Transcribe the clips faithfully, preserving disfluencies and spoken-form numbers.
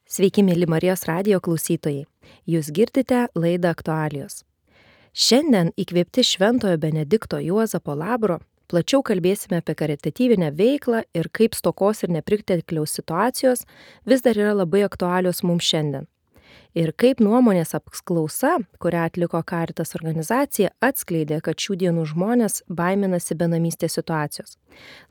Sveiki, mėly Marijos radijo klausytojai. Jūs girdite laidą Aktualijos. Šiandien įkvėpti Šventojo Benedikto Juozapo Labro plačiau kalbėsime apie karitatyvinę veiklą ir kaip stokos ir nepritekliaus situacijos vis dar yra labai aktualios mums šiandien. Ir kaip nuomonės apklausa, kurią atliko Caritas organizacija, atskleidė, kad šių dienų žmonės baiminasi benamystės situacijos.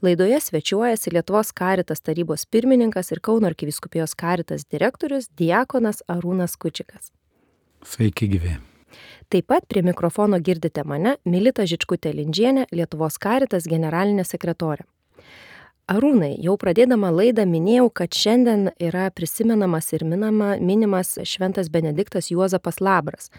Laidoje svečiuojasi Lietuvos Caritas tarybos pirmininkas ir Kauno arkivyskupijos Caritas direktorius diakonas Arūnas Kučikas. Sveiki gyvi. Taip pat prie mikrofono girdite mane, Milita Žičkutė-Lindžienė, Lietuvos Caritas generalinė sekretorė. Arūnai, jau pradėdama laidą minėjau, kad šiandien yra prisimenamas ir minama, minimas Šventas Benediktas Juozapas Labras,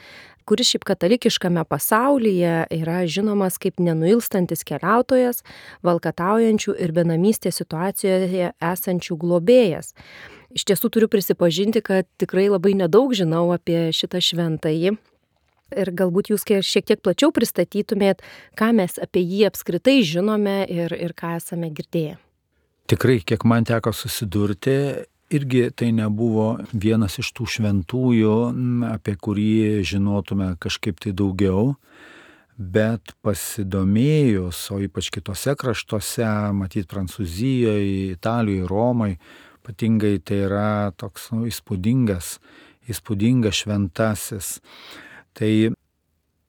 kuris šiaip katalikiškame pasaulyje yra žinomas kaip nenuilstantis keliautojas, valkataujančių ir benamystės situacijoje esančių globėjas. Iš tiesų turiu prisipažinti, kad tikrai labai nedaug žinau apie šitą šventąjį. Ir galbūt jūs šiek tiek plačiau pristatytumėt, ką mes apie jį apskritai žinome ir, ir ką esame girdėję. Tikrai, kiek man teko susidurti, irgi tai nebuvo vienas iš tų šventųjų, apie kurį žinotume kažkaip tai daugiau, bet pasidomėjus, o ypač kitose kraštuose, matyt Prancūzijoje, Italijoje, Romoje, ypatingai tai yra toks nu, įspūdingas, įspūdingas šventasis. Tai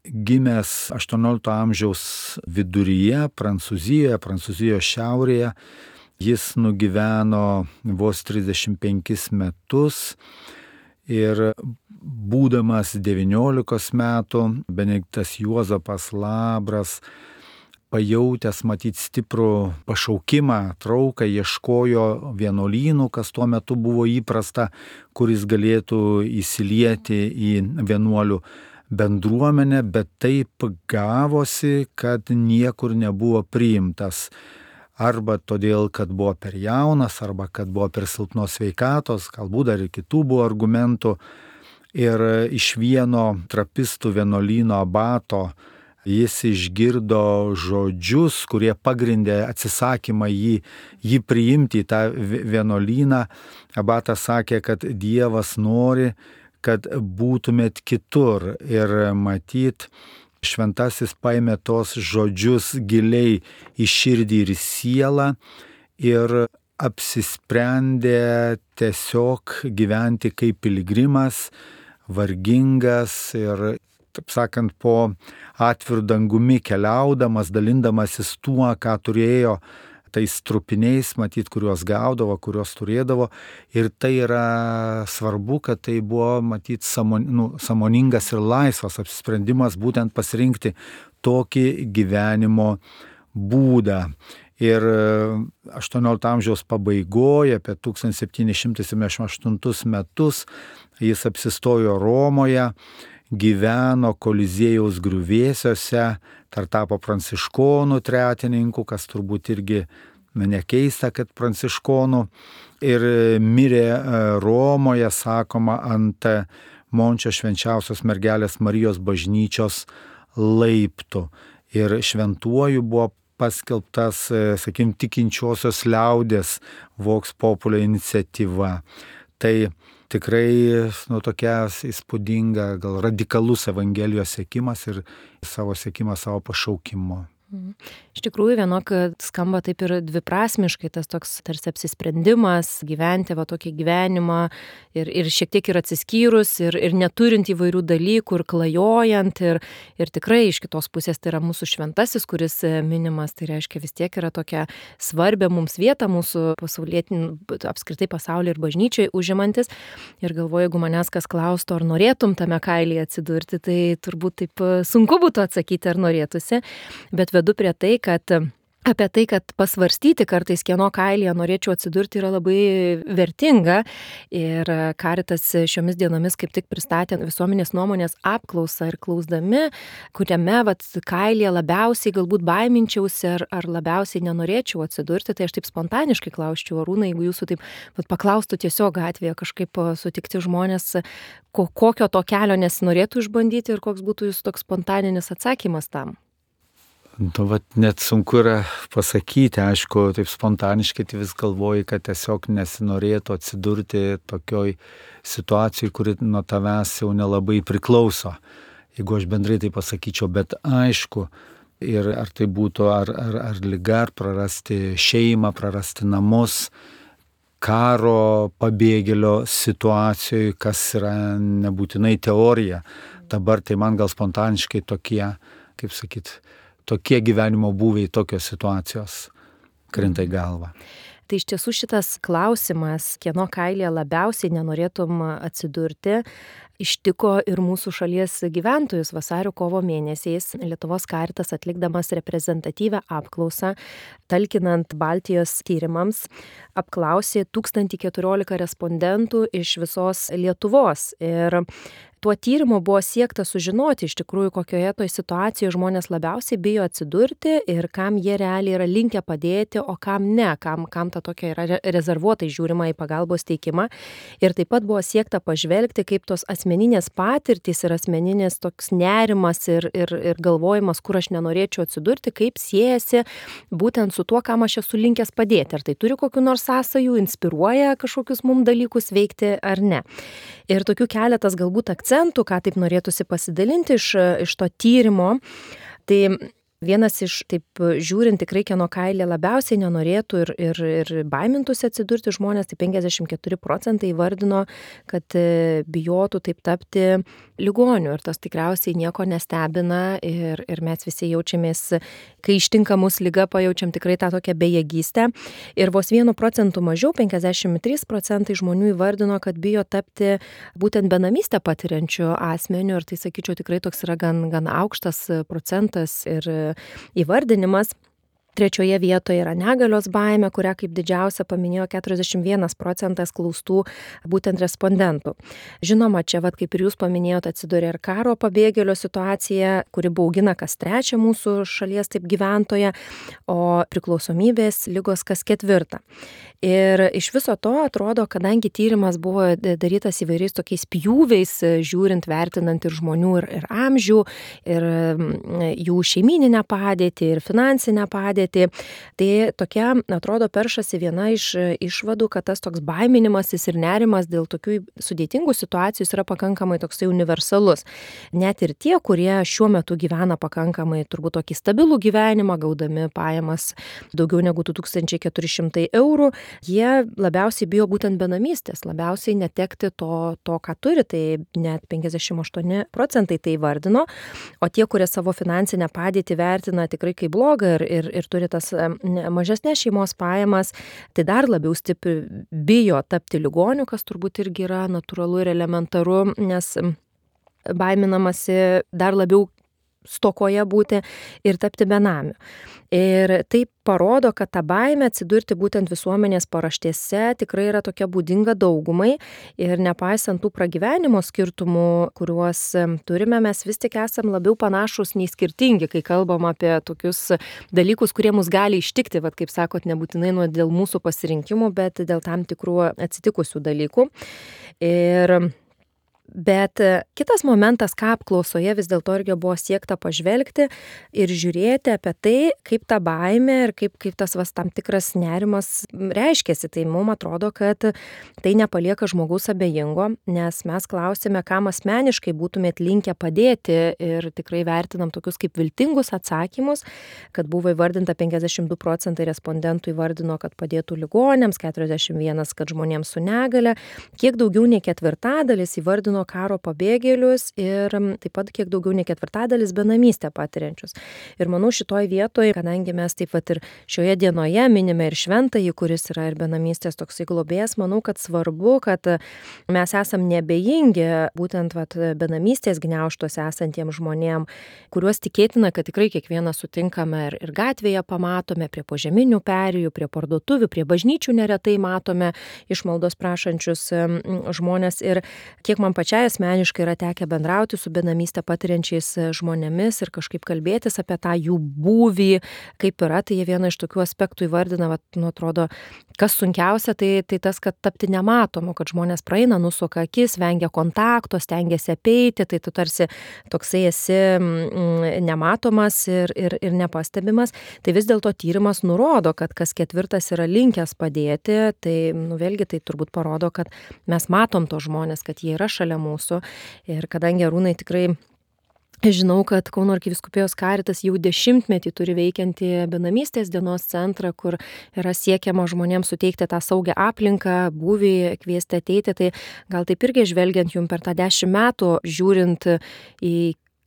gimęs aštuoniolikto amžiaus viduryje Prancūzijoje, Prancūzijos šiaurėje, jis nugyveno vos trisdešimt penkis metus ir būdamas devyniolikos metų Benediktas Juozapas Labras, pajautęs matyt stiprų pašaukimą, trauką, ieškojo vienuolynų, kas tuo metu buvo įprasta, kuris galėtų įsilieti į vienuolių bendruomenę, bet taip gavosi, kad niekur nebuvo priimtas. Arba todėl, kad buvo per jaunas, arba kad buvo per silpnos sveikatos, galbūt dar ir kitų buvo argumentų. Ir iš vieno trapistų vienuolyno abato jis išgirdo žodžius, kurie pagrindė atsisakymą jį, jį priimti į tą vienuolyną. Abatas sakė, kad Dievas nori, kad būtumėt kitur. Ir matyt, šventasis paėmė tos žodžius giliai į širdį ir į sielą ir apsisprendė tiesiog gyventi kaip piligrimas, vargingas ir, taip sakant, po atvirų dangumi keliaudamas, dalindamasis tuo, ką turėjo, tais trupiniais, matyt, kuriuos gaudavo, kuriuos turėdavo. Ir tai yra svarbu, kad tai buvo, matyt, samon, nu, samoningas ir laisvas apsisprendimas būtent pasirinkti tokį gyvenimo būdą. Ir aštuoniolikto amžiaus pabaigoje, apie tūkstantis septyni šimtai septyniasdešimt aštuntus metus, jis apsistojo Romoje, gyveno Koliziejaus griuvėsiuose, dar tapo pranciškonų tretininku, kas turbūt irgi nekeista, kad pranciškonų, ir mirė Romoje, sakoma, ant Mončio švenčiausios mergelės Marijos bažnyčios laiptų. Ir šventuoju buvo paskelbtas, sakykim, tikinčiosios liaudės Vox Populi iniciatyva. Tai tikrai nu, tokia įspūdinga, gal radikalus Evangelijos sekimas ir savo sekimas savo pašaukimo. Iš tikrųjų, vienok skamba taip ir dviprasmiškai tas toks tarsi apsisprendimas gyventi va tokį gyvenimą ir, ir šiek tiek ir atsiskyrus ir, ir neturint įvairių dalykų ir klajojant ir, ir tikrai iš kitos pusės tai yra mūsų šventasis, kuris minimas, tai reiškia vis tiek yra tokia svarbia mums vieta mūsų pasaulietinį, apskritai pasaulyje ir bažnyčioje užimantis. Ir galvoju, jeigu manęs kas klaustų, ar norėtum tame kailyje atsidurti, tai turbūt taip sunku būtų atsakyti, ar norėtųsi, bet vedu prie tai, kad apie tai, kad pasvarstyti kartais, kieno kailyje norėčiau atsidurti, yra labai vertinga. Ir Caritas šiomis dienomis kaip tik pristatė visuomenės nuomonės apklausą ir klausdami, kuriame vat, kailyje labiausiai galbūt baiminčiausi ar, ar labiausiai nenorėčiau atsidurti, tai aš taip spontaniškai klausčiau, Arūnai, jeigu jūsų taip vat, paklaustų tiesiog gatvėje kažkaip sutikti žmonės, ko, kokio to kelio nesinorėtų išbandyti ir koks būtų jūsų toks spontaninis atsakymas tam. Nu, vat, net sunku yra pasakyti, aišku, taip spontaniškai tai vis galvoji, kad tiesiog nesinorėtų atsidurti tokioj situacijoj, kuri nuo tavęs jau nelabai priklauso. Jeigu aš bendrai tai pasakyčiau, bet aišku, ir ar tai būtų ar, ar, ar liga, ar prarasti šeimą, prarasti namus, karo pabėgėlio situacijoje, kas yra nebūtinai teorija. Dabar tai man gal spontaniškai tokie, kaip sakyt, tokie gyvenimo būviai, tokios situacijos krinta į galvą. Tai iš tiesų šitas klausimas, kieno kailėje labiausiai nenorėtum atsidurti, ištiko ir mūsų šalies gyventojus vasario kovo mėnesiais. Lietuvos Karitas atlikdamas reprezentatyvią apklausą, talkinant Baltijos tyrimams, apklausė tūkstantį keturiolika respondentų iš visos Lietuvos. Ir tuo tyrimu buvo siekta sužinoti iš tikrųjų, kokioje toj situacijoje žmonės labiausiai bijo atsidurti ir kam jie realiai yra linkę padėti, o kam ne, kam, kam ta tokia yra rezervuotai žiūrima į pagalbos teikimą. Ir taip pat buvo siekta pažvelgti, kaip tos asmeninės patirtys ir asmeninės toks nerimas ir, ir, ir galvojimas, kur aš nenorėčiau atsidurti, kaip siejasi būtent su tuo, kam aš esu linkęs padėti. Ar tai turi kokių nors sąsajų, inspiruoja kažkokius mums dalykus veikti ar ne. Ir tokių keletas galbūt akcentų, ką taip norėtųsi pasidalinti iš, iš to tyrimo, tai vienas iš, taip žiūrint, tikrai kieno kailė labiausiai nenorėtų ir, ir, ir baimintųsi atsidurti žmonės, tai penkiasdešimt keturi procentai įvardino, kad bijotų taip tapti ligoniu. Ir tas tikriausiai nieko nestebina ir, ir mes visi jaučiamės, kai ištinka mus liga, pajaučiam tikrai tą tokią bejėgystę. Ir vos vienu procentu mažiau, penkiasdešimt trys procentai žmonių įvardino, kad bijo tapti būtent benamystę patiriančių asmenių. Ir tai, sakyčiau, tikrai toks yra gan, gan aukštas procentas ir įvardinimas. Trečioje vietoje yra negalios baimė, kurią kaip didžiausia paminėjo keturiasdešimt vienas procentas klaustų būtent respondentų. Žinoma, čia, vat, kaip ir jūs paminėjote, atsiduria ir karo pabėgėlio situacija, kuri baugina kas trečią mūsų šalies taip gyventoją, o priklausomybės ligos kas ketvirtą. Ir iš viso to atrodo, kadangi tyrimas buvo darytas įvairiais tokiais pjūviais, žiūrint, vertinant ir žmonių ir, ir amžių, ir jų šeimyninę padėtį, ir finansinę padėtį, tai tokia, atrodo, peršasi viena iš išvadų, kad tas toks baiminimasis ir nerimas dėl tokių sudėtingų situacijų yra pakankamai toksai universalus. Net ir tie, kurie šiuo metu gyvena pakankamai turbūt tokį stabilų gyvenimą, gaudami pajamas daugiau negu du tūkstančiai keturi šimtai eurų, jie labiausiai bijo būtent benamystės, labiausiai netekti to, to ką turi, tai net penkiasdešimt aštuoni procentai tai vardino, o tie, kurie savo finansinę padėtį vertina tikrai kaip blogą ir, ir, ir turi tas mažesnės šeimos pajamas, tai dar labiau stipriai bijo tapti ligoniu, kas turbūt irgi yra natūralu ir elementaru, nes baiminamasi dar labiau stokoje būti ir tapti benamiu. Ir tai parodo, kad ta baimė atsidurti būtent visuomenės paraštėse tikrai yra tokia būdinga daugumai ir nepaisant tų pragyvenimo skirtumų, kuriuos turime, mes vis tik esam labiau panašus nei skirtingi, kai kalbam apie tokius dalykus, kurie mus gali ištikti, vat, kaip sakot, nebūtinai nuo dėl mūsų pasirinkimų, bet dėl tam tikrų atsitikusių dalykų. Ir Bet kitas momentas, ką apklausoje vis dėlto irgi buvo siekta pažvelgti ir žiūrėti apie tai, kaip ta baimė ir kaip, kaip tas vas, tam tikras nerimas reiškiasi. Tai mums atrodo, kad tai nepalieka žmogaus abejingo, nes mes klausėme, kam asmeniškai būtumėt linkę padėti ir tikrai vertinam tokius kaip viltingus atsakymus, kad buvo įvardinta penkiasdešimt du procentai respondentų įvardino, kad padėtų ligonėms, keturiasdešimt vienas, kad žmonėms su negale, kiek daugiau nei ketvirtadalis įvardino karo pabėgėlius ir taip pat kiek daugiau nei ketvirtadalis benamystę patiriančius. Ir manau šitoj vietoje, kadangi mes taip pat ir šioje dienoje minime ir šventąjį, kuris yra ir benamystės toksai globėjas, manau, kad svarbu, kad mes esam nebejingi būtent vat, benamystės gniaužtuose esantiems žmonėm, kuriuos tikėtina, kad tikrai kiekvieną sutinkame ir, ir gatvėje pamatome, prie požeminių perėjų, prie parduotuvių, prie bažnyčių neretai matome išmaldos prašančius žmonės ir kiek man pačiai pačiai asmeniškai yra tekę bendrauti su benamystę patiriančiais žmonėmis ir kažkaip kalbėtis apie tą jų būvį, kaip yra, tai jie vieną iš tokių aspektų įvardina, vat, nu, atrodo, kas sunkiausia, tai, tai tas, kad tapti nematomu, kad žmonės praeina, nusuka akis, vengia kontakto, stengiasi apeiti, tai tu tarsi toksai esi mm, nematomas ir, ir, ir nepastebimas. Tai vis dėlto tyrimas nurodo, kad kas ketvirtas yra linkęs padėti, tai nu, vėlgi tai turbūt parodo, kad mes matom tos žmonės, kad jie yra šalia mūsų. Ir kadangi Arūnai tikrai žinau, kad Kauno arkivyskupijos Karitas jau dešimtmetį turi veikiantį benamystės dienos centrą, kur yra siekiama žmonėms suteikti tą saugią aplinką, būvį, kviesti ateiti, tai gal taip irgi žvelgiant jums per tą dešimt metų, žiūrint į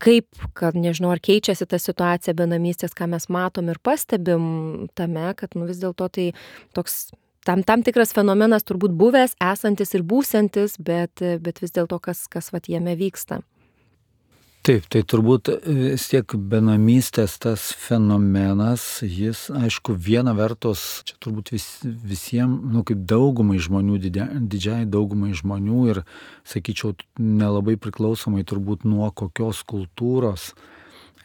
kaip, kad nežinau, ar keičiasi ta situacija benamystės, ką mes matom ir pastebim tame, kad nu, vis dėlto tai toks tam, tam tikras fenomenas turbūt buvęs, esantis ir būsiantis, bet, bet vis dėlto kas, kas vat jame vyksta. Taip, tai turbūt vis tiek benamystės tas fenomenas, jis, aišku, viena vertus, čia turbūt vis, visiems, nu, kaip daugumai žmonių, didžia, didžiai daugumai žmonių ir, sakyčiau, nelabai priklausomai turbūt nuo kokios kultūros,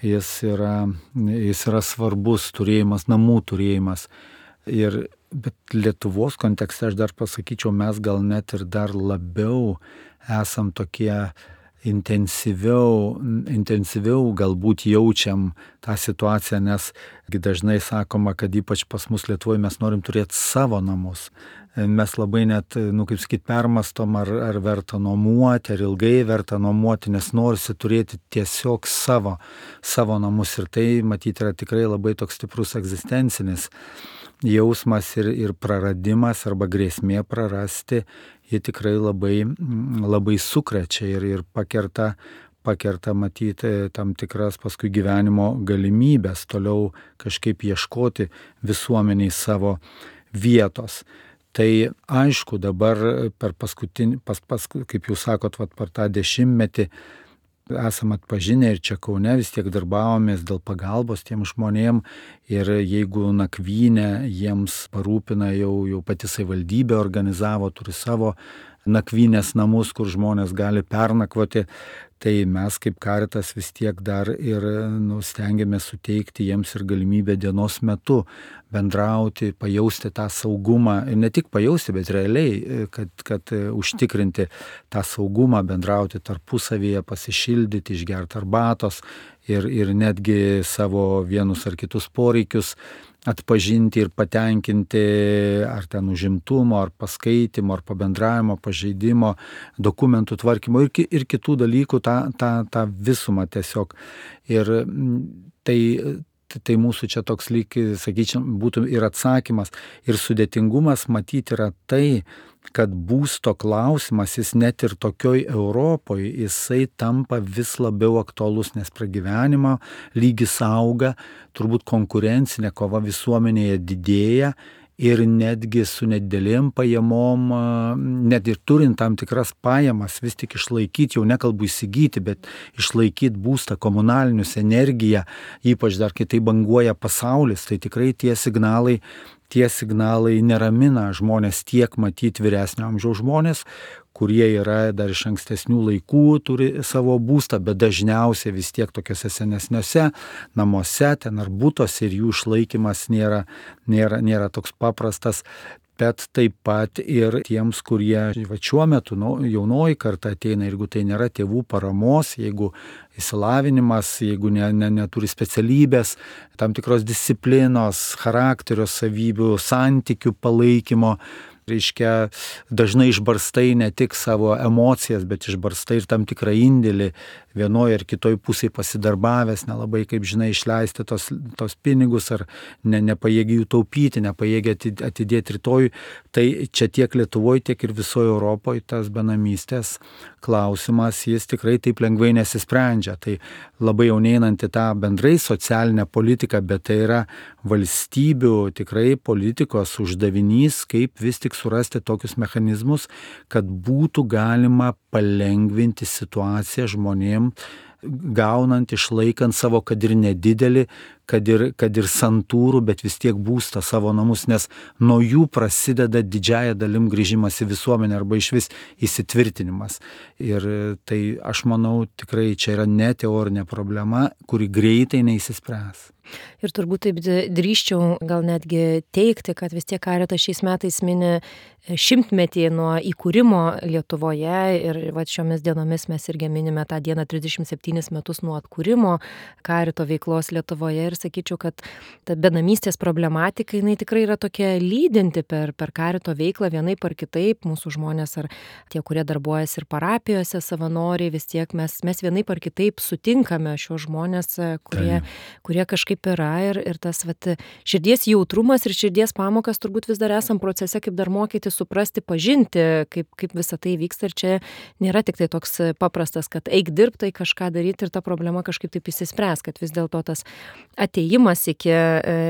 jis yra, jis yra svarbus turėjimas, namų turėjimas. Ir, bet Lietuvos kontekste aš dar pasakyčiau, mes gal net ir dar labiau esam tokie intensyviau, intensyviau galbūt jaučiam tą situaciją, nes dažnai sakoma, kad ypač pas mus Lietuvoje mes norim turėti savo namus. Mes labai net, nu kaip sakyt, permastom, ar, ar verta nuomuoti, ar ilgai verta nuomuoti, nes norisi turėti tiesiog savo, savo namus. Ir tai, matyti, yra tikrai labai toks stiprus egzistencinis jausmas ir, ir praradimas arba grėsmė prarasti, jie tikrai labai, labai sukrečia ir, ir pakerta, pakerta matyti tam tikras paskui gyvenimo galimybės, toliau kažkaip ieškoti visuomeniai savo vietos. Tai aišku, dabar per paskutinį, pas, pas, kaip jūs sakot, vat, per tą dešimtmetį esam atpažinę ir čia Kaune vis tiek darbavomės dėl pagalbos tiem žmonėm ir jeigu nakvynę jiems parūpina jau, jau pati savivaldybė organizavo, turi savo nakvynės namus, kur žmonės gali pernakvoti, tai mes kaip Karitas vis tiek dar ir nu, stengiamės suteikti jiems ir galimybę dienos metu bendrauti, pajausti tą saugumą, ir ne tik pajausti, bet realiai, kad, kad užtikrinti tą saugumą, bendrauti tarpusavyje, pasišildyti, išgerti arbatos ir, ir netgi savo vienus ar kitus poreikius atpažinti ir patenkinti ar ten užimtumo, ar paskaitimo, ar pabendravimo, pažeidimo, dokumentų tvarkymo ir, ir kitų dalykų, tą, tą, tą visumą tiesiog. Ir tai, tai mūsų čia toks lyg, sakyčiau, būtų ir atsakymas. Ir sudėtingumas matyti yra tai, kad būsto klausimas, jis net ir tokioj Europoje, jisai tampa vis labiau aktualus, nes pragyvenimo lygis auga, turbūt konkurencinė kova visuomenėje didėja ir netgi su nedidelėm pajamom, net ir turint tam tikras pajamas, vis tik išlaikyti, jau nekalbu įsigyti, bet išlaikyti būstą, komunalinius, energiją, ypač dar kai tai banguoja pasaulis, tai tikrai tie signalai Tie signalai neramina žmonės, tiek matyti vyresnio amžiaus žmonės, kurie yra dar iš ankstesnių laikų, turi savo būstą, bet dažniausiai vis tiek tokiuose senesniuose namuose, ten ar būtose, ir jų išlaikymas nėra, nėra, nėra toks paprastas. Bet taip pat ir tiems, kurie va, šiuo metu nu, jaunoji karta ateina, jeigu tai nėra tėvų paramos, jeigu įsilavinimas, jeigu ne, ne, neturi specialybės, tam tikros disciplinos, charakterio savybių, santykių palaikymo, reiškia, dažnai išbarstai ne tik savo emocijas, bet išbarstai ir tam tikrą indėlį vienoje ar kitoje pusėje pasidarbavęs, nelabai, kaip žinai, išleisti tos, tos pinigus ar ne, nepajėgi jų taupyti, nepajėgi atidėti rytoj. Tai čia tiek Lietuvoje, tiek ir visoje Europoje tas benamystės klausimas, jis tikrai taip lengvai nesisprendžia. Tai labai jau neinanti tą bendrai socialinę politiką, bet tai yra valstybių tikrai politikos uždavinys, kaip vis tik surasti tokius mechanizmus, kad būtų galima palengvinti situaciją žmonėm, gaunant, išlaikant savo, kad ir nedidelį, kad ir, kad ir santūrų, bet vis tiek būstą savo namus, nes nuo jų prasideda didžiaja dalim grįžimas į visuomenę arba iš vis įsitvirtinimas. Ir tai aš manau tikrai čia yra ne teorinė problema, kuri greitai neįsispręs. Ir turbūt taip drįsčiau gal netgi teikti, kad vis tiek Caritas šiais metais mini šimtmetį nuo įkūrimo Lietuvoje ir va, šiomis dienomis mes irgi minime tą dieną trisdešimt septynis metus nuo atkūrimo Carito veiklos Lietuvoje ir sakyčiau, kad ta benamystės problematika, jinai tikrai yra tokia lydinti per, per Carito veiklą vienaip ar kitaip, mūsų žmonės ar tie, kurie darbuojasi ir parapijose savanoriai, vis tiek mes, mes vienaip ar kitaip sutinkame šios žmonės, kurie, kurie kažkaip yra ir, ir tas vat, širdies jautrumas ir širdies pamokas turbūt vis dar esam procese, kaip dar mokyti, suprasti, pažinti, kaip, kaip visa tai vyksta ir čia nėra tik tai toks paprastas, kad eik dirbti, kažką daryti ir ta problema kažkaip taip įsispręs, kad vis dėlto tas atėjimas iki,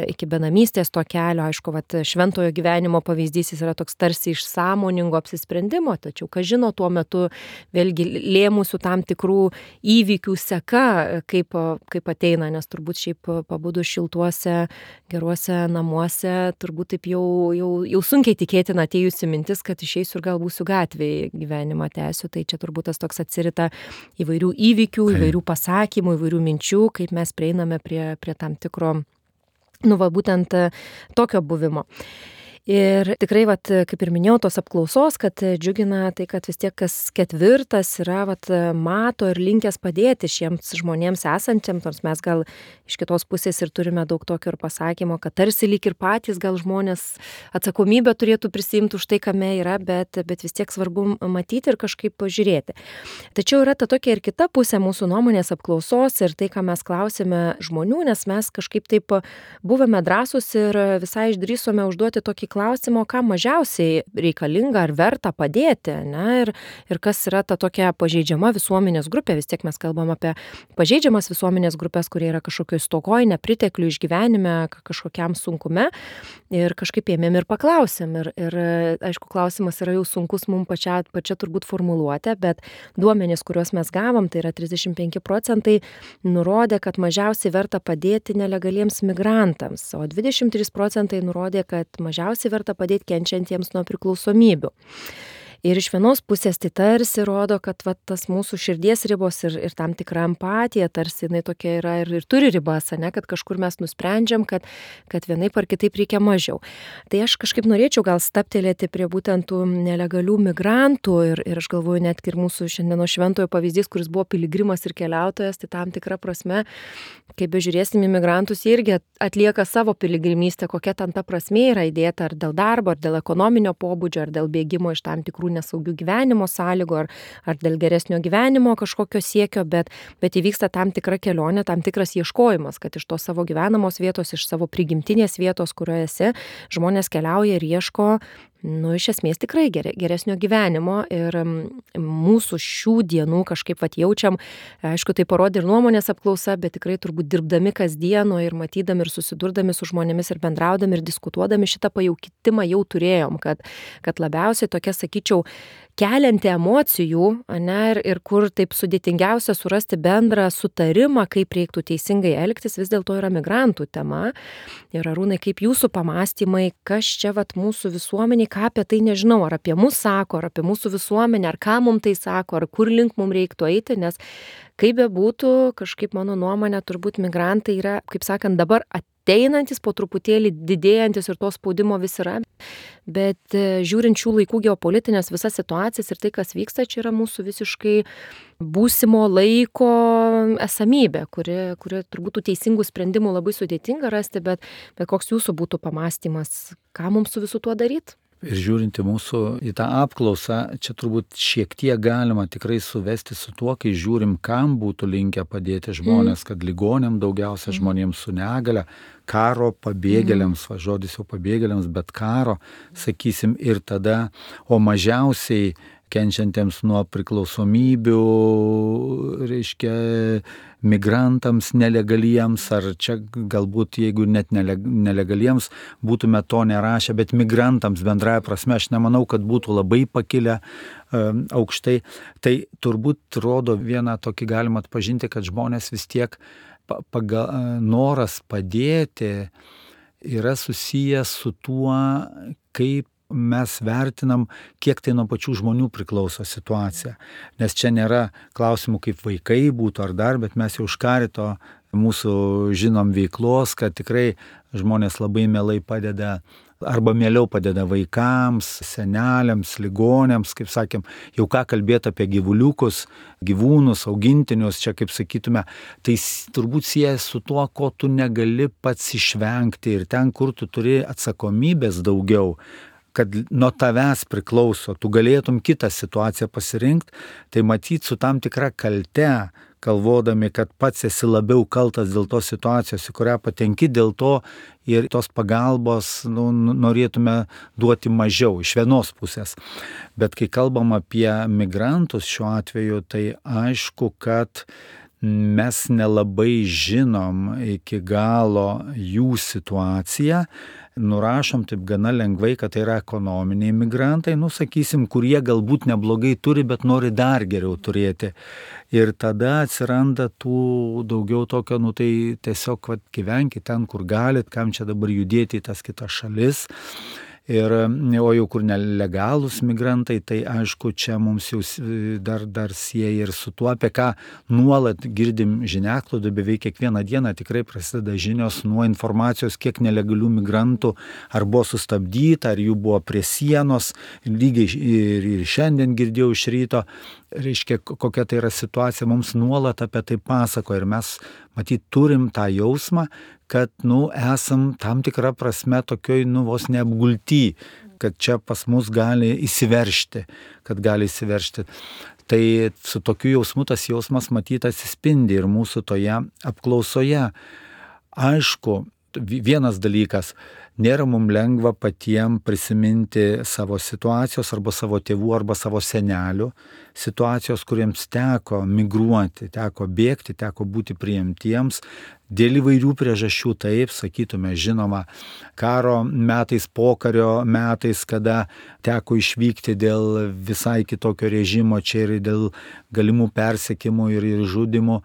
iki benamystės to kelio, aišku, vat, šventojo gyvenimo pavyzdys jis yra toks tarsi iš sąmoningo apsisprendimo, tačiau, ką žino tuo metu, vėlgi lėmusių tam tikrų įvykių seka, kaip, kaip ateina, nes turbūt šiaip pabudus šiltuose, geruose namuose, turbūt taip jau, jau, jau sunkiai tikėtina atėjusi mintis, kad išeisiu ir gal būsiu gatvėje gyvenimą tęsiu, tai čia turbūt tas toks atsirita įvairių įvykių, įvairių pasakymų, įvairių minčių, kaip mes prieiname prie, prie tam tikro, nu va, būtent tokio buvimo. Ir tikrai, vat, kaip ir minėjau, tos apklausos, kad džiugina tai, kad vis tiek kas ketvirtas yra, vat, mato ir linkęs padėti šiems žmonėms esantiems, nors mes gal iš kitos pusės ir turime daug tokio ir pasakymo, kad tarsi lyg ir patys gal žmonės atsakomybę turėtų prisimti už tai, kame yra, bet, bet vis tiek svarbu matyti ir kažkaip pažiūrėti. Tačiau yra ta tokia ir kita pusė mūsų nuomonės apklausos ir tai, ką mes klausėme žmonių, nes mes kažkaip taip buvome drąsūs ir visai išdrįsome užduoti tokį klausimo, ką mažiausiai reikalinga ar verta padėti, ne? Ir, ir kas yra ta tokia pažeidžiama visuomenės grupė, vis tiek mes kalbam apie pažeidžiamas visuomenės grupės, kurie yra kažkokioj stokoj, nepriteklių išgyvenime, kažkokiam sunkume ir kažkaip ėmėm ir paklausėm ir, ir aišku, klausimas yra jau sunkus mums pačia, pačia turbūt formuluotė, bet duomenys, kuriuos mes gavom, tai yra trisdešimt penki procentai, nurodė, kad mažiausiai verta padėti nelegaliems migrantams, o dvidešimt trys procentai nurodė, kad mažiausiai verta padėti kenčiantiems nuo priklausomybių. Ir iš vienos pusės tai tarsi rodo, kad va, tas mūsų širdies ribos ir, ir tam tikra empatija tarsi jinai tokia yra ir, ir turi ribas, ne, kad kažkur mes nusprendžiam, kad, kad vienaip ar kitaip reikia mažiau. Tai aš kažkaip norėčiau gal staptelėti prie būtent tų nelegalių migrantų ir, ir aš galvoju net ir mūsų šiandieno šventojo pavyzdys, kuris buvo piligrimas ir keliautojas, tai tam tikra prasme, kai bežiūrėsim į migrantus, jie irgi atlieka savo piligrimystę, kokia ten ta prasmė yra įdėta ar dėl darbo, ar dėl ekonominio pobūdžio, ar dėl bėgimo iš tam tikrų nesaugių gyvenimo sąlygų ar, ar dėl geresnio gyvenimo kažkokio siekio, bet, bet įvyksta tam tikra kelionė, tam tikras ieškojimas, kad iš tos savo gyvenamos vietos, iš savo prigimtinės vietos, kurioje esi, žmonės keliauja ir ieško, nu, iš esmės tikrai geresnio gyvenimo ir mūsų šių dienų kažkaip vat jaučiam, aišku, tai parodė ir nuomonės apklausa, bet tikrai turbūt dirbdami kasdieno ir matydami ir susidurdami su žmonėmis ir bendraudami ir diskutuodami šitą pajautimą jau turėjom, kad, kad labiausiai tokia, sakyčiau, kelianti emocijų, ne, ir, ir kur taip sudėtingiausia surasti bendrą sutarimą, kaip reiktų teisingai elgtis, vis dėlto yra migrantų tema. Ir Arūnai, kaip jūsų pamastymai, kas čia vat mūsų visuomeniai, ką apie tai nežinau, ar apie mus sako, ar apie mūsų visuomenę, ar ką mums tai sako, ar kur link mums reiktų eiti, nes kaip bebūtų, kažkaip mano nuomonė, turbūt migrantai yra, kaip sakant, dabar ateinantis, po truputėlį didėjantis ir to spaudimo vis yra, bet žiūrint šių laikų geopolitinės visas situacijas ir tai, kas vyksta, čia yra mūsų visiškai būsimo laiko esamybė, kuri, kuri turbūt tų teisingų sprendimų labai sudėtinga rasti, bet, bet koks jūsų būtų pamastymas, ką mums su visu tuo daryti? Ir žiūrinti mūsų į tą apklausą, čia turbūt šiek tiek galima tikrai suvesti su tuo, kai žiūrim, kam būtų linkę padėti žmonės, mm. kad ligonėm daugiausia žmonėms su negale, karo pabėgėliams, mm. va, žodis jau pabėgėliams, bet karo, sakysim, ir tada, o mažiausiai kenčiantiems nuo priklausomybių, reiškia, migrantams nelegaliems, ar čia galbūt, jeigu net nelegaliems, būtume to nerašę, bet migrantams bendraja prasme, aš nemanau, kad būtų labai pakilę um, aukštai. Tai turbūt rodo vieną tokį galima atpažinti, kad žmonės vis tiek paga, noras padėti yra susijęs su tuo, kaip mes vertinam, kiek tai nuo pačių žmonių priklauso situacija. Nes čia nėra klausimų, kaip vaikai būtų ar dar, bet mes jau iš karito mūsų žinom veiklos, kad tikrai žmonės labai mielai padeda arba mieliau padeda vaikams, seneliams, ligonėms, kaip sakėm, jau ką kalbėti apie gyvuliukus, gyvūnus, augintinius, čia kaip sakytume, tai turbūt siejas su tuo, ko tu negali pats išvengti ir ten, kur tu turi atsakomybės daugiau, kad nuo tavęs priklauso, tu galėtum kitą situaciją pasirinkti, tai matyt su tam tikra kalte, kalvodami, kad pats esi labiau kaltas dėl tos situacijos, į kurią patenki, dėl to ir tos pagalbos nu, norėtume duoti mažiau iš vienos pusės. Bet kai kalbam apie migrantus šiuo atveju, tai aišku, kad mes nelabai žinom iki galo jų situaciją, nurašom taip gana lengvai, kad tai yra ekonominiai migrantai, nu sakysim, kurie galbūt neblogai turi, bet nori dar geriau turėti. Ir tada atsiranda tų daugiau tokio, nu tai tiesiog vat, gyvenkit ten, kur galit, kam čia dabar judėti į tas kitas šalis. Ir, o jau kur nelegalūs migrantai, tai aišku, čia mums jau dar, dar sieja ir su tuo, apie ką nuolat girdim žiniasklaidoje, beveik kiekvieną dieną tikrai prasideda žinios nuo informacijos, kiek nelegalių migrantų ar buvo sustabdyta, ar jų buvo prie sienos, lygiai ir, ir šiandien girdėjau iš ryto, reiškia, kokia tai yra situacija, mums nuolat apie tai pasako ir mes, matyt, turim tą jausmą, kad, nu, esam tam tikrą prasme tokioj, nu, vos neapgulty, kad čia pas mus gali įsiveršti, kad gali įsiveršti. Tai su tokiu jausmu tas jausmas matyt atsispindi ir mūsų toje apklausoje. Aišku, vienas dalykas, nėra mums lengva patiems prisiminti savo situacijos arba savo tėvų arba savo senelių situacijos, kuriems teko migruoti, teko bėgti, teko būti priimtiems. Dėl įvairių priežasčių taip, sakytume, žinoma, karo metais, pokario metais, kada teko išvykti dėl visai kitokio režimo, čia ir dėl galimų persekimų ir, ir žudimų.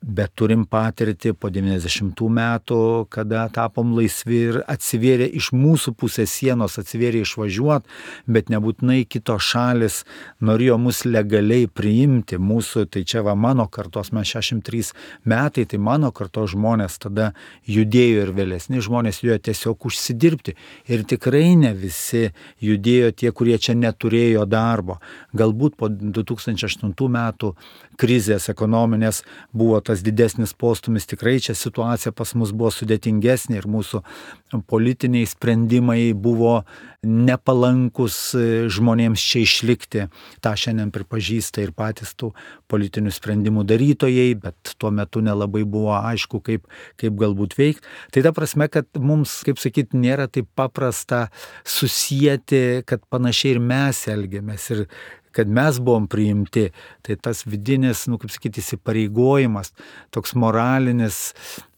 Bet turim patirti po devyniasdešimtų metų, kada tapom laisvi ir atsivėrė iš mūsų pusės sienos, atsivėrė išvažiuoti, bet nebūtinai kitos šalis norėjo mus legaliai priimti. Mūsų, tai čia va mano kartos, mes šešiasdešimt trys metai, tai mano kartos žmonės tada judėjo ir vėlesni žmonės judėjo tiesiog užsidirbti. Ir tikrai ne visi judėjo tie, kurie čia neturėjo darbo. Galbūt po du tūkstančiai aštuntų metų krizės ekonominės buvo tas didesnis postumis, tikrai čia situacija pas mus buvo sudėtingesnė ir mūsų politiniai sprendimai buvo nepalankus žmonėms čia išlikti. Ta šiandien pripažįsta ir patys tų politinių sprendimų darytojai, bet tuo metu nelabai buvo aišku, kaip, kaip galbūt veikti. Tai ta prasme, kad mums, kaip sakyti, nėra taip paprasta susijęti, kad panašiai ir mes elgiamės ir kad mes buvom priimti, tai tas vidinis, nu, kaip sakyti, įsipareigojimas, toks moralinis,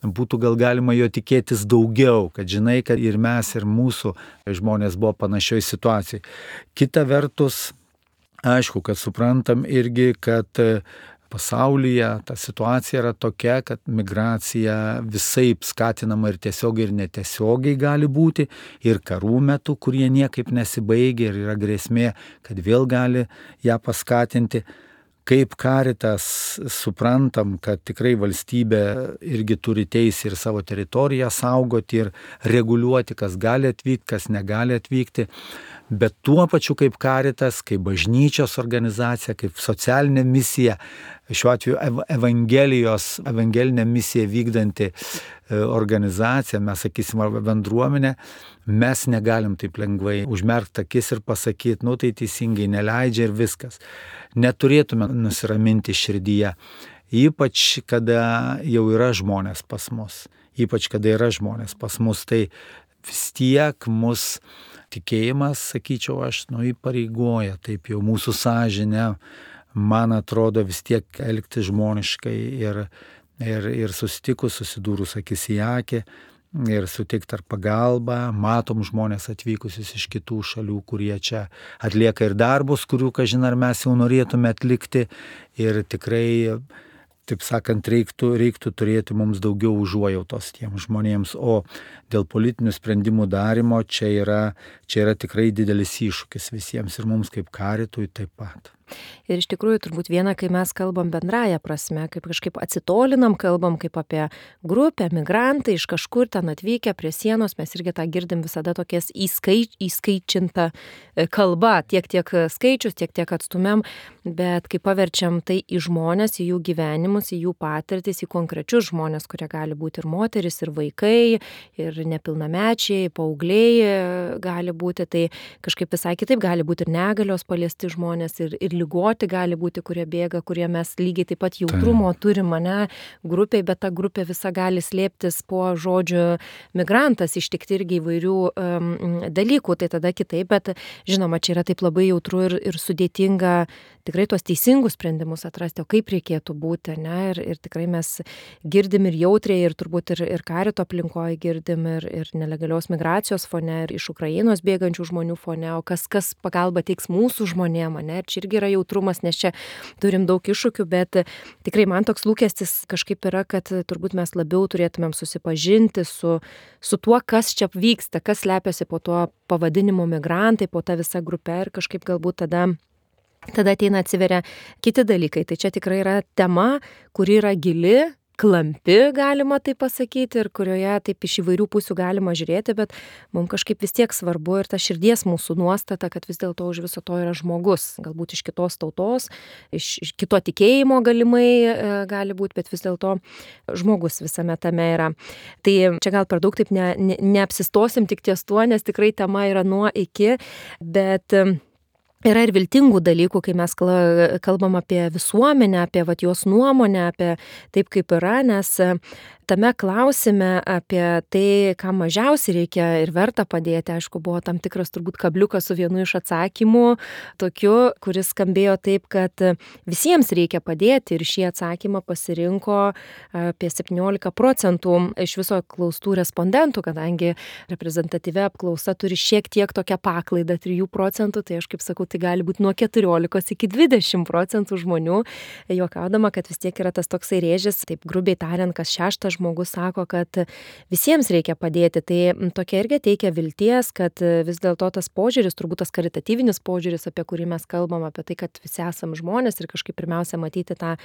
būtų gal galima jo tikėtis daugiau, kad žinai, kad ir mes, ir mūsų žmonės buvo panašioj situacijai. Kita vertus, aišku, kad suprantam irgi, kad pasaulyje ta situacija yra tokia, kad migracija visaip skatinama ir tiesiogiai ir netiesiogiai gali būti, ir karų metu, kurie niekaip nesibaigia ir yra grėsmė, kad vėl gali ją paskatinti. Kaip Caritas suprantam, kad tikrai valstybė irgi turi teisę ir savo teritoriją saugoti ir reguliuoti, kas gali atvykti, kas negali atvykti. Bet tuo pačiu kaip Caritas, kaip bažnyčios organizacija, kaip socialinė misija, šiuo atveju evangelijos, evangelinė misija vykdanti organizacija, mes sakysim, arba bendruomenė, mes negalim taip lengvai užmerkti akis ir pasakyti, nu tai teisingai neleidžia ir viskas. Neturėtume nusiraminti širdyje, ypač kada jau yra žmonės pas mus, ypač kada yra žmonės pas mus, tai vis tiek mus tikėjimas, sakyčiau aš, nu įpareigoja, taip jau mūsų sąžinė, man atrodo, vis tiek elgtis žmoniškai ir, ir, ir susitikus, susidūrus akis į akį ir sutikti ar pagalbą, matom žmonės atvykusius iš kitų šalių, kurie čia atlieka ir darbus, kurių, kažin ar mes jau norėtume atlikti ir tikrai taip sakant, reiktų, reiktų turėti mums daugiau užuojautos tiems žmonėms, o dėl politinių sprendimų darimo čia yra, čia yra tikrai didelis iššūkis visiems ir mums kaip Karitui taip pat. Ir iš tikrųjų turbūt viena, kai mes kalbam bendraja prasme, kaip kažkaip atsitolinam, kalbam kaip apie grupę, migrantai iš kažkur ten atvykę prie sienos, mes irgi tą girdim visada tokias įskai, įskaičinta kalba, tiek tiek skaičius, tiek tiek atstumėm, bet kai paverčiam tai į žmonės, į jų gyvenimus, į jų patirtis, į konkrečius žmonės, kurie gali būti ir moteris, ir vaikai, ir nepilnamečiai, paaugliai gali būti, tai kažkaip visai kitaip gali būti ir negalios paliesti žmonės, ir, ir ligoti gali būti, kurie bėga, kurie mes lygiai taip pat jautrumo turim, ane, grupiai, bet ta grupė visa gali slėptis po žodžiu migrantas, ištikti irgi įvairių um, dalykų, tai tada kitaip, bet žinoma, čia yra taip labai jautru ir, ir sudėtinga tikrai tuos teisingus sprendimus atrasti, o kaip reikėtų būti, ne, ir, ir tikrai mes girdim ir jautriai, ir turbūt ir, ir Karito aplinkoje girdim, ir, ir nelegalios migracijos fone, ir iš Ukrainos bėgančių žmonių fone, o kas, kas pagalba teiks mūsų žmonėm, ne, ir čia irgi yra jautrumas, nes čia turim daug iššūkių, bet tikrai man toks lūkestis kažkaip yra, kad turbūt mes labiau turėtumėm susipažinti su, su tuo, kas čia vyksta, kas slepiasi po tuo pavadinimu migrantai, po tą visą grupę ir kažkaip galbūt tada tada ateina atsiveria kiti dalykai. Tai čia tikrai yra tema, kuri yra gili, klampi, galima taip pasakyti, ir kurioje taip iš įvairių pusių galima žiūrėti, bet mums kažkaip vis tiek svarbu ir ta širdies mūsų nuostata, kad vis dėlto už viso to yra žmogus, galbūt iš kitos tautos, iš, iš kito tikėjimo galimai e, gali būti, bet vis dėlto žmogus visame tame yra. Tai čia gal per daug taip ne, ne, neapsistosim tik ties tuo, nes tikrai tema yra nuo iki, bet yra ir viltingų dalykų, kai mes kalbam apie visuomenę, apie vat, jos nuomonę, apie taip kaip yra, nes tame klausime apie tai, ką mažiausiai reikia ir verta padėti, aišku, buvo tam tikras turbūt kabliukas su vienu iš atsakymų, tokiu, kuris skambėjo taip, kad visiems reikia padėti, ir šį atsakymą pasirinko apie septyniolika procentų iš viso klaustų respondentų, kadangi reprezentatyvi apklausa turi šiek tiek tokią paklaidą trijų procentų, tai aš kaip sakau, tai gali būti nuo keturiolikos iki dvidešimt procentų žmonių, juokaudama, kad vis tiek yra tas toksai rėžis, taip grubiai tariant, kas šeštas žmogus sako, kad visiems reikia padėti. Tai tokia irgi teikia vilties, kad vis dėlto tas požiūris, turbūt tas karitatyvinis požiūris, apie kurį mes kalbam, apie tai, kad visi esam žmonės ir kažkaip pirmiausia matyti tą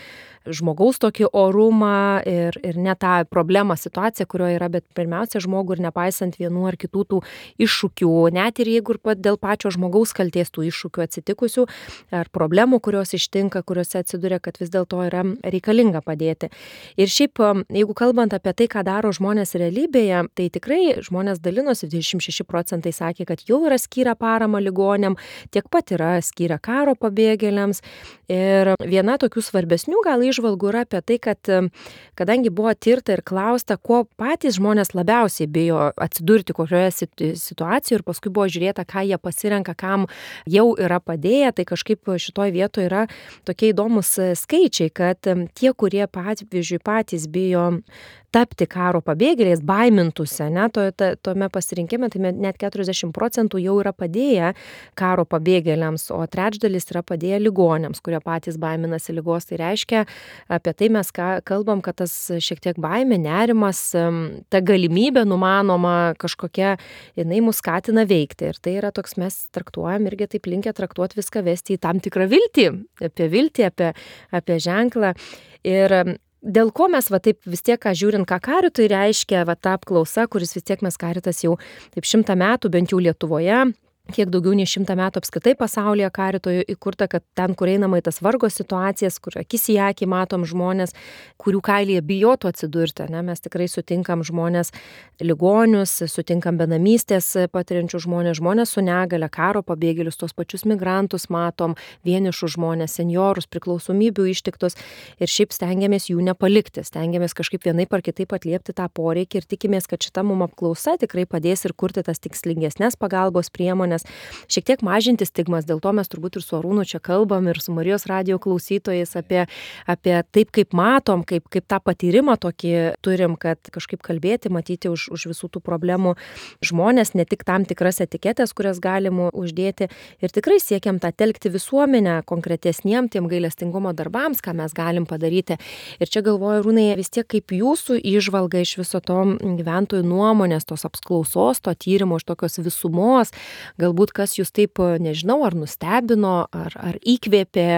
žmogaus tokį orumą ir, ir ne tą problemą, situaciją, kurioje yra, bet pirmiausia žmogų ir nepaisant vienų ar kitų tų iššūkių, net ir jeigu ir dėl pačio žmogaus kalties tų iššūkių atsitikusių ar problemų, kurios ištinka, kuriuose atsiduria, kad vis dėlto yra reikalinga padėti. Ir šiaip, jeigu kalbam Kalbant apie tai, ką daro žmonės realybėje, tai tikrai žmonės dalinosi, dvidešimt šeši procentai sakė, kad jau yra skyrę paramą ligoniam, tiek pat yra skyrę karo pabėgėliams. Ir viena tokių svarbesnių gal įžvalgų yra apie tai, kad kadangi buvo tirta ir klausta, ko patys žmonės labiausiai bijo atsidurti kokioje situacijoje, ir paskui buvo žiūrėta, ką jie pasirenka, kam jau yra padėję, tai kažkaip šitoj vietoje yra tokie įdomus skaičiai, kad tie, kurie pavyzdžiui patys bijo tapti karo pabėgėliais, baimintųsi, ne, to, to, tome pasirinkime, tai net keturiasdešimt procentų jau yra padėję karo pabėgėliams, o trečdalis yra padėję ligoniams, kurie patys baiminasi ligos. Tai reiškia, apie tai mes ką, kalbam, kad tas šiek tiek baimė, nerimas, ta galimybė numanoma kažkokia, jinai mus skatina veikti. Ir tai yra toks, mes traktuojam irgi taip linkę traktuoti viską, vesti į tam tikrą viltį, apie viltį, apie, apie ženklą. Ir dėl ko mes va taip vis tiek, ką žiūrint, ką Karitui reiškia va ta apklausa, kuris vis tiek mes Karitas jau taip šimtą metų, bent jau Lietuvoje, kiek daugiau nei šimtą metų apskritai pasaulyje Karitoje įkurta, kad ten, kur einama į tas vargo situacijas, kur akis į akį matom žmonės, kurių kailyje bijotų atsidurti, ne? Mes tikrai sutinkam žmonės ligonius, sutinkam benamystės patiriančių žmonės, žmonės su negale, karo pabėgėlius, tos pačius migrantus matom, vienišus žmonės, seniorus, priklausomybių ištiktus, ir šiaip stengiamės jų nepalikti, stengiamės kažkaip vienaip ar kitaip atliepti tą poreikį ir tikimės, kad šita mum apklausa tikrai padės ir kurti tas tikslingesnės pagalbos priemonės, žmonės, šiek tiek mažinti stigmas, dėl to mes turbūt ir su Arūnu čia kalbam ir su Marijos radijo klausytojais apie, apie taip, kaip matom, kaip, kaip tą patyrimą tokį turim, kad kažkaip kalbėti, matyti už, už visų tų problemų žmonės, ne tik tam tikras etiketės, kurias galim uždėti ir tikrai siekiam tą telkti visuomenę konkretesniem tiem gailestingumo darbams, ką mes galim padaryti. Ir čia galvoju, Arūnai, vis tiek kaip jūsų įžvalga iš viso to gyventojų nuomonės, tos apklausos, to tyrimo, iš tokios visumos, galbūt kas jūs taip, nežinau, ar nustebino, ar, ar įkvėpė,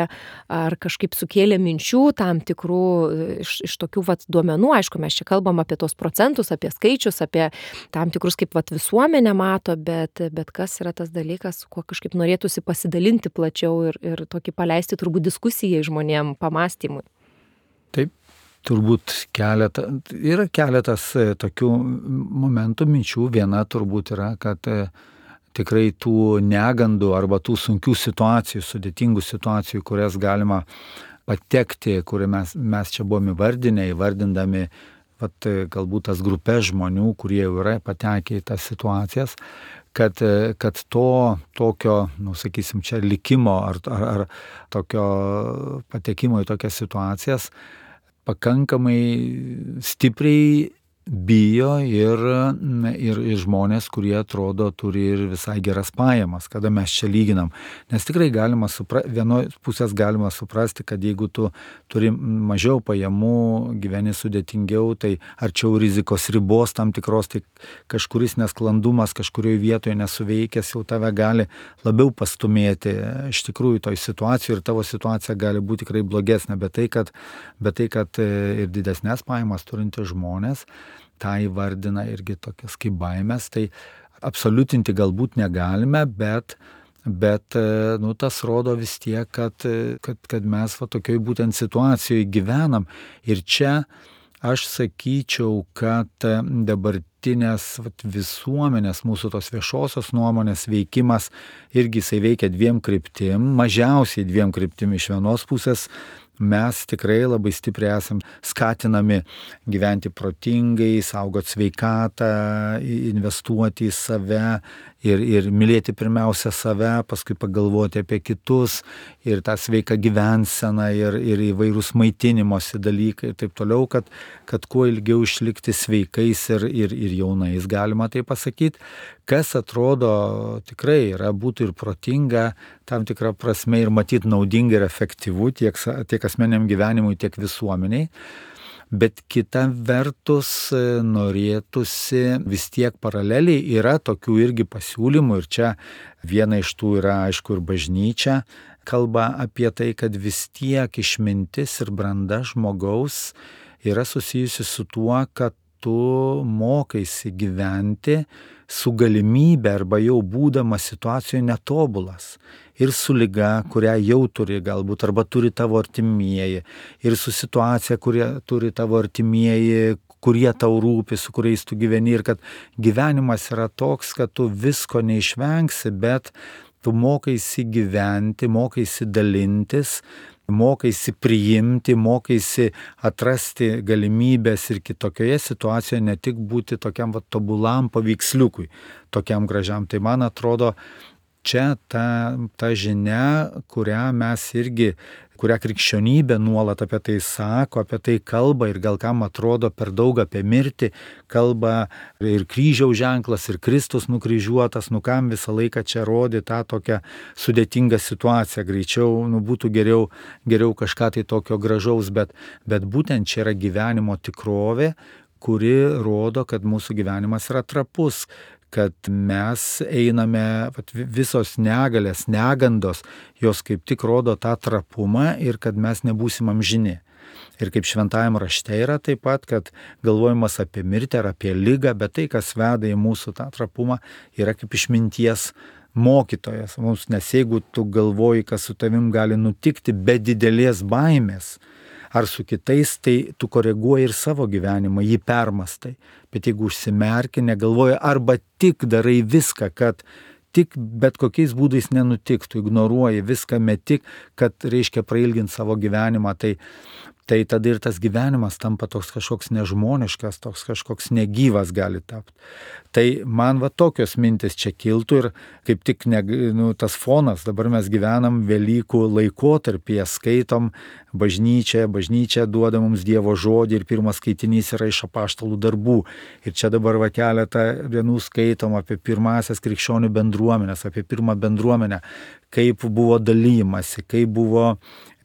ar kažkaip sukėlė minčių tam tikrų iš, iš tokių vat, duomenų. Aišku, mes čia kalbam apie tos procentus, apie skaičius, apie tam tikrus, kaip vat, visuomenė mato, bet, bet kas yra tas dalykas, kuo kažkaip norėtųsi pasidalinti plačiau ir, ir tokį paleisti turbūt diskusijai žmonėm, pamastymui. Taip. Turbūt keletą, yra keletas tokių momentų, minčių. Viena turbūt yra, kad tikrai tų negandų arba tų sunkių situacijų, sudėtingų situacijų, kurias galima patekti, kur mes, mes čia buvome įvardinę, įvardindami vat, galbūt tas grupės žmonių, kurie jau yra patekę į tas situacijas, kad, kad to tokio, nu, sakysim, čia likimo ar, ar, ar tokio patekimo į tokias situacijas pakankamai stipriai bijo ir, ir, ir žmonės, kurie atrodo turi ir visai geras pajamas, kada mes čia lyginam. Nes tikrai galima suprasti, vienos pusės galima suprasti, kad jeigu tu turi mažiau pajamų, gyveni sudėtingiau, tai arčiau rizikos ribos tam tikros, tai kažkuris nesklandumas kažkurioje vietoje nesuveikęs jau tave gali labiau pastumėti iš tikrųjų toj situacijoje ir tavo situacija gali būti tikrai blogesnė, bet tai, kad, bet tai, kad ir didesnės pajamas turinti žmonės, tą įvardina irgi tokias kaip baimės, tai absoliutinti galbūt negalime, bet, bet nu, tas rodo vis tiek, kad, kad, kad mes va, tokioj būtent situacijoje gyvenam. Ir čia aš sakyčiau, kad dabartinės va, visuomenės, mūsų tos viešosios nuomonės veikimas irgi jisai veikia dviem kryptim, mažiausiai dviem kryptim. Iš vienos pusės mes tikrai labai stipriai esam skatinami gyventi protingai, saugoti sveikatą, investuoti į save ir, ir mylėti pirmiausia save, paskui pagalvoti apie kitus ir tą sveiką gyvenseną ir, ir įvairūs maitinimosi dalykai ir taip toliau, kad, kad kuo ilgiau išlikti sveikais ir, ir, ir jaunais, galima tai pasakyti. Kas atrodo tikrai yra būtų ir protinga, tam tikrą prasme ir matyti naudinga ir efektyvu tiek, tiek asmeniam gyvenimui, tiek visuomeniai. Bet kita vertus norėtųsi vis tiek paraleliai yra tokių irgi pasiūlymų ir čia viena iš tų yra aišku ir bažnyčia, kalba apie tai, kad vis tiek išmintis ir branda žmogaus yra susijusi su tuo, kad tu mokaisi gyventi su galimybė arba jau būdamas situacijoje netobulas. Ir su liga, kurią jau turi galbūt, arba turi tavo artimieji. Ir su situacija, kurią turi tavo artimieji, kurie tau rūpi, su kuriais tu gyveni. Ir kad gyvenimas yra toks, kad tu visko neišvengsi, bet tu mokaisi gyventi, mokaisi dalintis, mokaisi priimti, mokaisi atrasti galimybės ir kitokioje situacijoje, ne tik būti tokiam va, tobulam paveiksliukui, tokiam gražiam. Tai man atrodo, čia ta, ta žinia, kurią mes irgi, kurią krikščionybė nuolat apie tai sako, apie tai kalba ir gal kam atrodo per daug apie mirtį, kalba ir kryžiaus ženklas, ir Kristus nukryžiuotas, nu kam visą laiką čia rodi tą tokią sudėtingą situaciją, greičiau nu, būtų geriau, geriau kažką tai tokio gražaus, bet, bet būtent čia yra gyvenimo tikrovė, kuri rodo, kad mūsų gyvenimas yra trapus, kad mes einame, visos negalės, negandos, jos kaip tik rodo tą trapumą ir kad mes nebūsim amžini. Ir kaip šventajam rašte yra taip pat, kad galvojimas apie mirtį ar apie ligą, bet tai, kas veda į mūsų tą trapumą, yra kaip išminties mokytojas. Mums, nes jeigu tu galvoji, kas su tavim gali nutikti be didelės baimės, ar su kitais, tai tu koreguoji ir savo gyvenimą, jį permastai. Bet jeigu užsimerki, negalvoji, arba tik darai viską, kad tik bet kokiais būdais nenutiktų, ignoruoji viską, metik, kad reiškia prailginti savo gyvenimą, tai, tai tada ir tas gyvenimas tampa toks kažkoks nežmoniškas, toks kažkoks negyvas gali tapti. Tai man va tokios mintis čia kiltų ir kaip tik ne, nu, tas fonas, dabar mes gyvenam Velykų laikotarpyje, skaitom bažnyčią, bažnyčia duoda mums Dievo žodį ir pirmas skaitinys yra iš apaštalų darbų. Ir čia dabar va keletą dienų skaitom apie pirmasias krikščionių bendruomenės, apie pirmą bendruomenę, kaip buvo dalymasi, kaip buvo,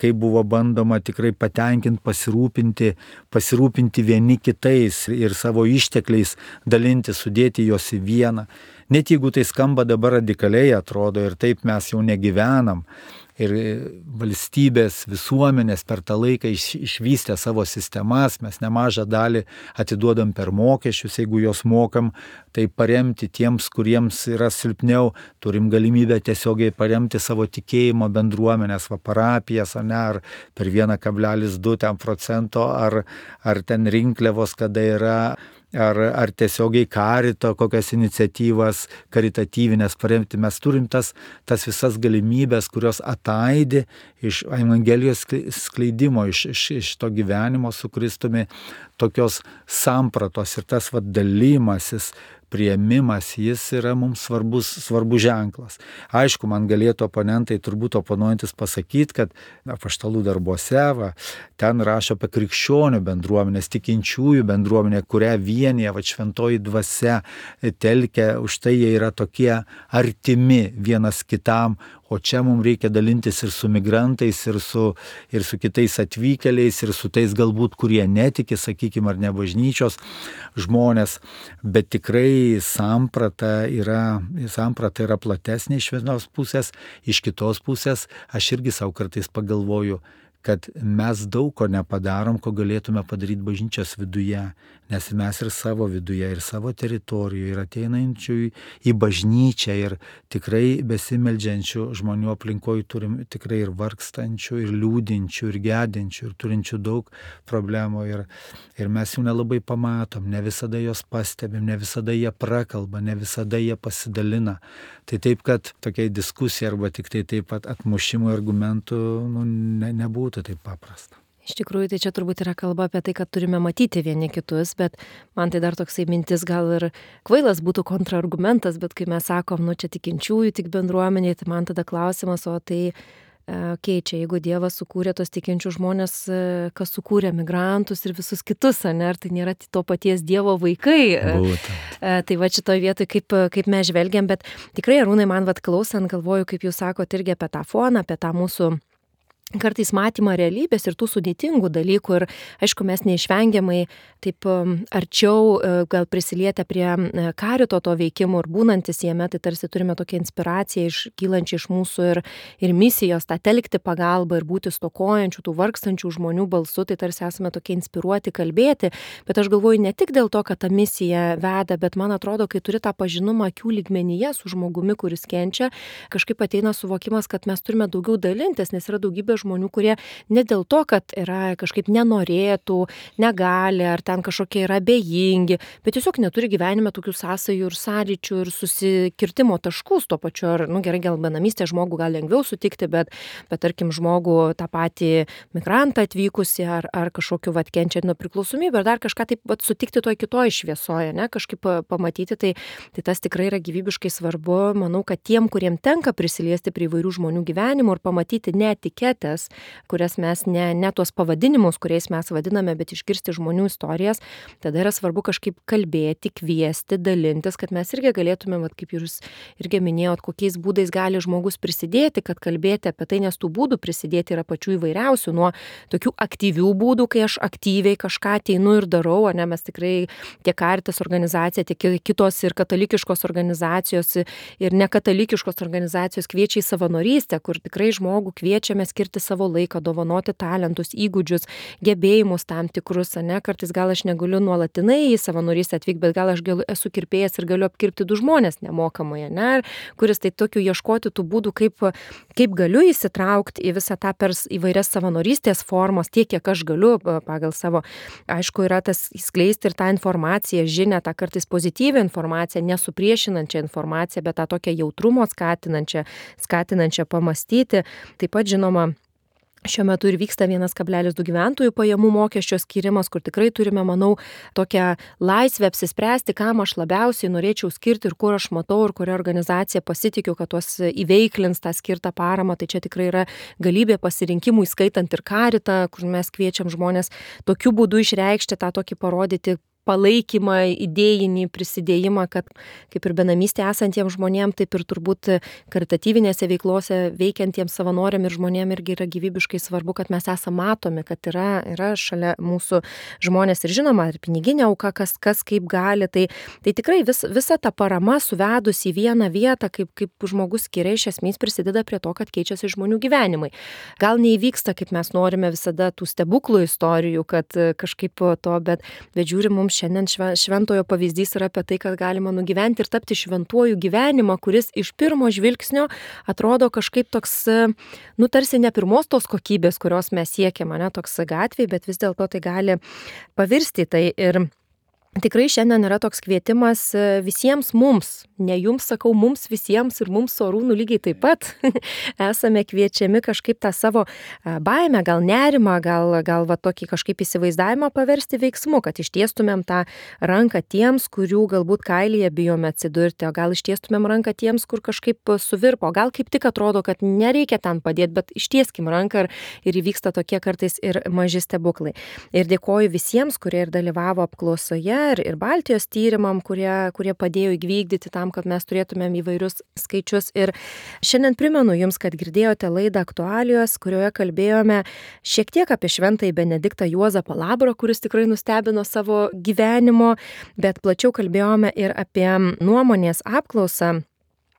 kaip buvo bandoma tikrai patenkinti, pasirūpinti, pasirūpinti vieni kitais ir savo ištekliais dalinti, sudėti juos į vieną. Net jeigu tai skamba dabar radikaliai atrodo ir taip mes jau negyvenam. Ir valstybės, visuomenės per tą laiką iš, išvystė savo sistemas, mes nemažą dalį atiduodam per mokesčius, jeigu juos mokam, tai paremti tiems, kuriems yra silpniau, turim galimybę tiesiogiai paremti savo tikėjimo bendruomenės, va parapijas, ar ne, ar per vieną kablelis du procento, ar, ar ten rinkliavos, kada yra, ar, ar tiesiogiai karito, kokias iniciatyvas karitatyvinės paremti. Mes turim tas, tas visas galimybės, kurios ataidi iš Evangelijos skleidimo, iš, iš, iš to gyvenimo su Kristumi, tokios sampratos ir tas va dalymasis, priėmimas, jis yra mums svarbus, svarbus ženklas. Aišku, man galėtų oponentai, turbūt oponuojantis pasakyti, kad apaštalų darbuose, va, ten rašo apie krikščionių bendruomenės, tikinčiųjų bendruomenę, kurią vienyje, va, šventoji dvasia telkia, už tai jie yra tokie artimi vienas kitam, o čia mums reikia dalintis ir su migrantais, ir su, ir su kitais atvykėliais, ir su tais galbūt, kurie netiki, sakykime, ar ne bažnyčios žmonės, bet tikrai samprata yra, samprata yra platesnė iš vienos pusės, iš kitos pusės aš irgi savo kartais pagalvoju, kad mes daug ko nepadarom, ko galėtume padaryti bažnyčios viduje, nes mes ir savo viduje, ir savo teritorijoje, ir ateinančių į bažnyčią, ir tikrai besimeldžiančių žmonių aplinkoje turim tikrai ir vargstančių, ir liūdinčių, ir gedinčių, ir turinčių daug problemų, ir, ir mes jų nelabai pamatom, ne visada jos pastebim, ne visada jie prakalba, ne visada jie pasidalina. Tai taip, kad tokiai diskusija arba tik tai taip pat atmušimų argumentų nu, ne, nebūtų taip paprasta. Iš tikrųjų, tai čia turbūt yra kalba apie tai, kad turime matyti vieni kitus, bet man tai dar toksai mintis gal ir kvailas būtų kontraargumentas, bet kai mes sakom, nu čia tikinčiųjų, tik bendruomeniai, tai man tada klausimas, o tai keičia, jeigu Dievas sukūrė tos tikinčių žmonės, kas sukūrė migrantus ir visus kitus, ne, ar tai nėra to paties Dievo vaikai. Būtent. Tai va šitoje vietoje, kaip, kaip mes žvelgiam, bet tikrai, Arūnai, man vat klausant, galvoju, kaip jūs sakote irgi apie tą foną, apie tą mūsų kartais matymą realybės ir tų sudėtingų dalykų ir aišku mes neišvengiamai taip arčiau gal prisilietę prie karito to veikimo ir būnantis jame, tai tarsi turime tokią inspiraciją iš, kylančią iš mūsų ir, ir misijos, tą telkti pagalbą ir būti stokojančių, tų vargstančių žmonių balsu, tai tarsi esame tokie inspiruoti kalbėti, bet aš galvoju ne tik dėl to, kad ta misija veda, bet man atrodo, kai turi tą pažinumą akių lygmenyje su žmogumi, kuris kenčia, kažkaip ateina suvokimas, kad mes turime daugiau dalintis, nes yra daugybė žmonių, kurie ne dėl to, kad yra kažkaip nenorėtų, negali, ar ten kažkokie yra abejingi, bet tiesiog neturi gyvenime tokių sąsajų ir sąryčių ir susikirtimo taškus to pačiu, ar, nu gerai, gal benamystė žmogų gal lengviau sutikti, bet, bet tarkim, žmogų tą patį migrantą atvykusi, ar, ar kažkokiu vat kenčiant nuo priklausomybę, ar dar kažką taip vat sutikti toj kitoj šviesoje, ne, kažkaip pamatyti, tai, tai tas tikrai yra gyvybiškai svarbu. Manau, kad tiem, kuriem tenka prisiliesti prie įvairių žmonių gyvenimų ir pamatyti ne etiketę, kurias mes ne, ne tuos pavadinimus, kuriais mes vadiname, bet išgirsti žmonių istorijas, tada yra svarbu kažkaip kalbėti, kviesti, dalintis, kad mes irgi galėtume, vat, kaip jūs irgi minėjot, kokiais būdais gali žmogus prisidėti, kad kalbėti apie tai, nes tų būdų prisidėti yra pačių įvairiausių, nuo tokių aktyvių būdų, kai aš aktyviai kažką ateinu ir darau, o ne mes tikrai tiek Caritas organizacija, tiek kitos ir katalikiškos organizacijos ir nekatalikiškos organizacijos kviečia į savanorystę, kur tikrai žmogų kviečiame skirti savo laiką, dovanoti talentus, įgūdžius, gebėjimus tam tikrus, ne, kartais gal aš negaliu nuolatinai į savanorystę atvykti, bet gal aš galiu, esu kirpėjas ir galiu apkirpti du žmonės nemokamai, ne, kuris tai tokių ieškoti tų būdų, kaip, kaip galiu įsitraukti į visą tą per įvairias savanorystės formas, tiek, kiek aš galiu pagal savo, aišku, yra tas skleisti ir tą informaciją, žinią, tą kartais pozityvią informaciją, nesupriešinančią informaciją, bet tą tokią jautrumo skatinančią, skatinančią pamastyti. Taip pat, žinoma, Šiuo metu ir vyksta vienas kablelis du gyventojų pajamų mokesčio skyrimas, kur tikrai turime, manau, tokią laisvę apsispręsti, kam aš labiausiai norėčiau skirti ir kur aš matau ir kuria organizacija pasitikiu, kad tuos įveiklins tą skirtą paramą. Tai čia tikrai yra galybė pasirinkimų, įskaitant ir Karitą, kur mes kviečiam žmonės tokiu būdu išreikšti tą tokį parodyti palaikymą, idėjinį prisidėjimą, kad kaip ir benamystė esantiems žmonėms, taip ir turbūt karitatyvinėse veiklose veikiantiems savanoriam ir žmonėm irgi yra gyvybiškai svarbu, kad mes esame matomi, kad yra, yra šalia mūsų žmonės ir žinoma, ir piniginė auka, kas, kas kaip gali. Tai, tai tikrai vis, visa ta parama suvedus į vieną vietą, kaip, kaip žmogus skiria, iš esmės prisideda prie to, kad keičiasi žmonių gyvenimai. Gal neįvyksta, kaip mes norime visada tų stebuklų istorijų, kad kažkaip to, bet, bet žiūri mums šiandien šventojo pavyzdys yra apie tai, kad galima nugyventi ir tapti šventuoju gyvenimą, kuris iš pirmo žvilgsnio atrodo kažkaip toks, nu tarsi ne pirmos tos kokybės, kurios mes siekiame, ne toks gatvėj, bet vis dėlto tai gali pavirsti tai. Ir tikrai šiandien yra toks kvietimas visiems mums, ne jums sakau, mums visiems ir mums su Arūnu lygiai taip pat esame kviečiami kažkaip tą savo baimę, gal nerimą, gal, gal va tokį kažkaip įsivaizdavimą paversti veiksmu, kad ištiestumėm tą ranką tiems, kurių galbūt kailyje bijome atsidurti, o gal ištiestumėm ranką tiems, kur kažkaip suvirpo, gal kaip tik atrodo, kad nereikia ten padėti, bet ištieskim ranką ir, ir įvyksta tokie kartais ir maži stebuklai. Ir dėkoju visiems, kurie ir dalyvavo apklausoje, ir, ir Baltijos tyrimam, kurie, kurie padėjo įvykdyti tam, kad mes turėtumėm įvairius skaičius. Ir šiandien primenu jums, kad girdėjote laidą Aktualijos, kurioje kalbėjome šiek tiek apie šventąjį Benediktą Juozapą Labrą, kuris tikrai nustebino savo gyvenimo, bet plačiau kalbėjome ir apie nuomonės apklausą,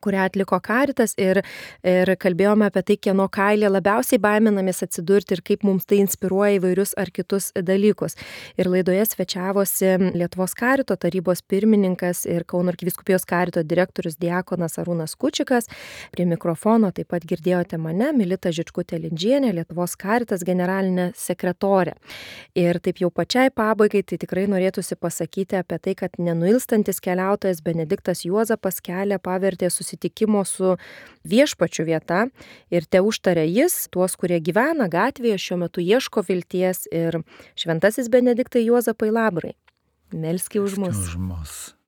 kurią atliko Karitas, ir, ir kalbėjome apie tai, kieno kailė labiausiai baiminamės atsidurti ir kaip mums tai inspiruoja įvairius ar kitus dalykus. Ir laidoje svečiavosi Lietuvos Karito tarybos pirmininkas ir Kauno arkivyskupijos Karito direktorius diakonas Arūnas Kučikas. Prie mikrofono taip pat girdėjote mane, Milita Žičkutė-Lindžienė, Lietuvos Karitas generalinė sekretorė. Ir taip jau pačiai pabaigai, tai tikrai norėtųsi pasakyti apie tai, kad nenuilstantis keliautojas Benediktas Juozapas kelią pavertė susitikimo su viešpačiu vieta ir te užtarė jis tuos, kurie gyvena gatvėje, šiuo metu ieško vilties, ir šventasis Benediktai Juozapai Labrai, melski už mus. Už mus.